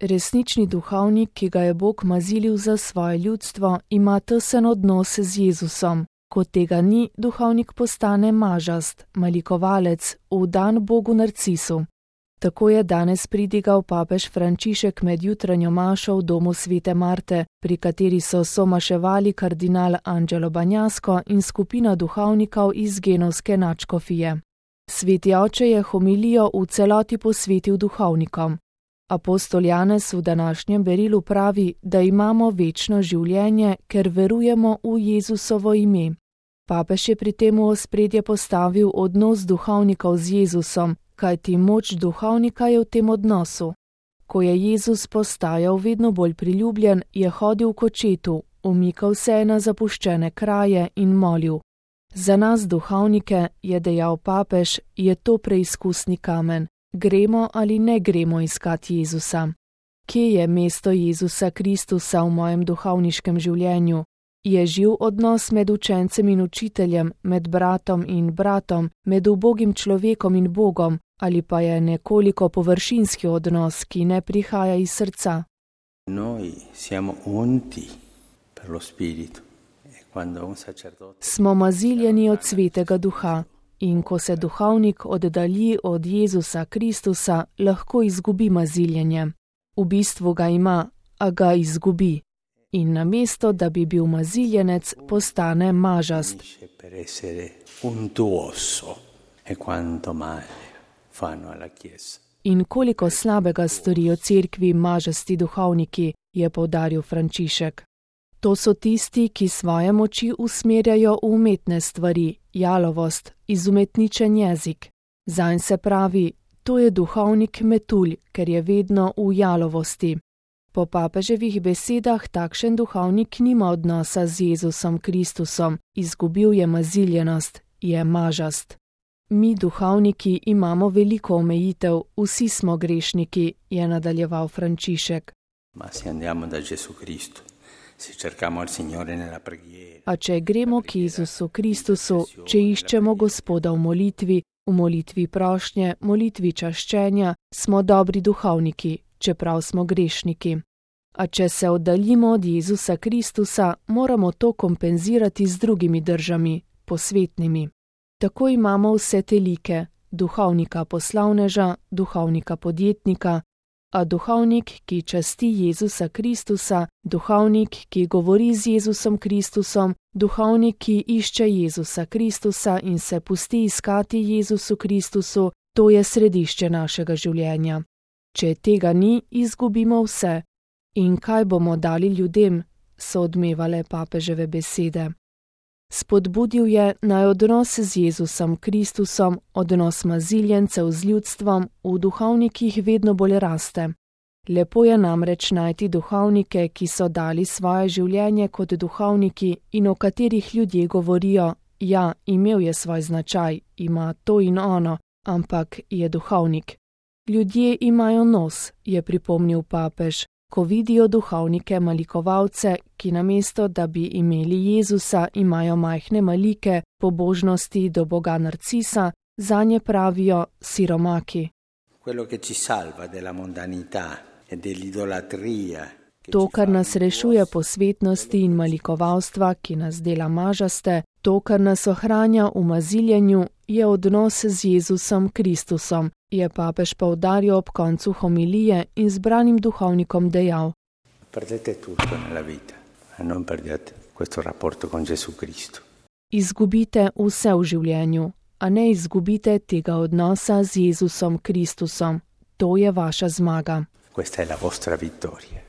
Resnični duhovnik, ki ga je Bog mazilil za svoje ljudstvo, ima tesen odnos z Jezusom. Ko tega ni, duhovnik postane mažast, malikovalec, vdan Bogu Narcisu. Tako je danes pridigal papež Frančišek med jutranjo mašo v domu svete Marte, pri kateri so somaševali kardinal Angelo Bagnasco in skupina duhovnikov iz genovske nadškofije. Sveti oče je homilijo v celoti posvetil duhovnikom. Apostol Janez v današnjem berilu pravi, da imamo večno življenje, ker verujemo v Jezusovo ime. Papež je pri tem v ospredje postavil odnos duhovnikov z Jezusom, kajti moč duhovnika je v tem odnosu. Ko je Jezus postajal vedno bolj priljubljen, je hodil k očetu, umikal se je na zapuščene kraje in molil. Za nas duhovnike, je dejal papež, je to preizkusni kamen. Gremo ali ne gremo iskati Jezusa? Kje je mesto Jezusa Kristusa v mojem duhovniškem življenju? Je živ odnos med učencem in učiteljem, med bratom in bratom, med ubogim človekom in Bogom, ali pa je nekoliko površinski odnos, ki ne prihaja iz srca? Noi siamo unti per lo Spirito. Smo maziljeni od Svetega Duha. In ko se duhovnik oddalji od Jezusa Kristusa, lahko izgubi maziljenje. V bistvu ga ima, a ga izgubi. In namesto, da bi bil maziljenec, postane mažast. In koliko slabega storijo cerkvi mažasti duhovniki, je poudaril Frančišek. To so tisti, ki svoje moči usmerjajo v umetne stvari, jalovost, izumetničen jezik. Zanj se pravi, to je duhovnik metulj, ker je vedno v jalovosti. Po papeževih besedah takšen duhovnik nima odnosa z Jezusom Kristusom, izgubil je maziljenost, je mažast. Mi duhovniki imamo veliko omejitev, vsi smo grešniki, je nadaljeval Frančišek. A če gremo k Jezusu Kristusu, če iščemo Gospoda v molitvi prošnje, molitvi čaščenja, smo dobri duhovniki, čeprav smo grešniki. A če se oddaljimo od Jezusa Kristusa, moramo to kompenzirati z drugimi držami, posvetnimi. Tako imamo vse te like, duhovnika poslavneža, duhovnika podjetnika, a duhovnik, ki časti Jezusa Kristusa, duhovnik, ki govori z Jezusom Kristusom, duhovnik, ki išče Jezusa Kristusa in se pusti iskati Jezusu Kristusu, to je središče našega življenja. Če tega ni, izgubimo vse. In kaj bomo dali ljudem, so odmevale papeževe besede. Spodbudil je naj odnos z Jezusom Kristusom, odnos maziljencev z ljudstvom v duhovnikih vedno bolj raste. Lepo je namreč najti duhovnike, ki so dali svoje življenje kot duhovniki in o katerih ljudje govorijo, ja, imel je svoj značaj, ima to in ono, ampak je duhovnik. Ljudje imajo nos, je pripomnil papež, ko vidijo duhovnike malikovalce, ki namesto, da bi imeli Jezusa, imajo majhne malike, pobožnosti do Boga Narcisa, zanje pravijo siromaki. To, kar nas rešuje posvetnosti in malikovalstva, ki nas dela mažaste, to, kar nas ohranja v maziljenju, je odnos z Jezusom Kristusom, je papež poudaril ob koncu homilije in zbranim duhovnikom dejal. Izgubite vse v življenju, a ne izgubite tega odnosa z Jezusom Kristusom. To je vaša zmaga.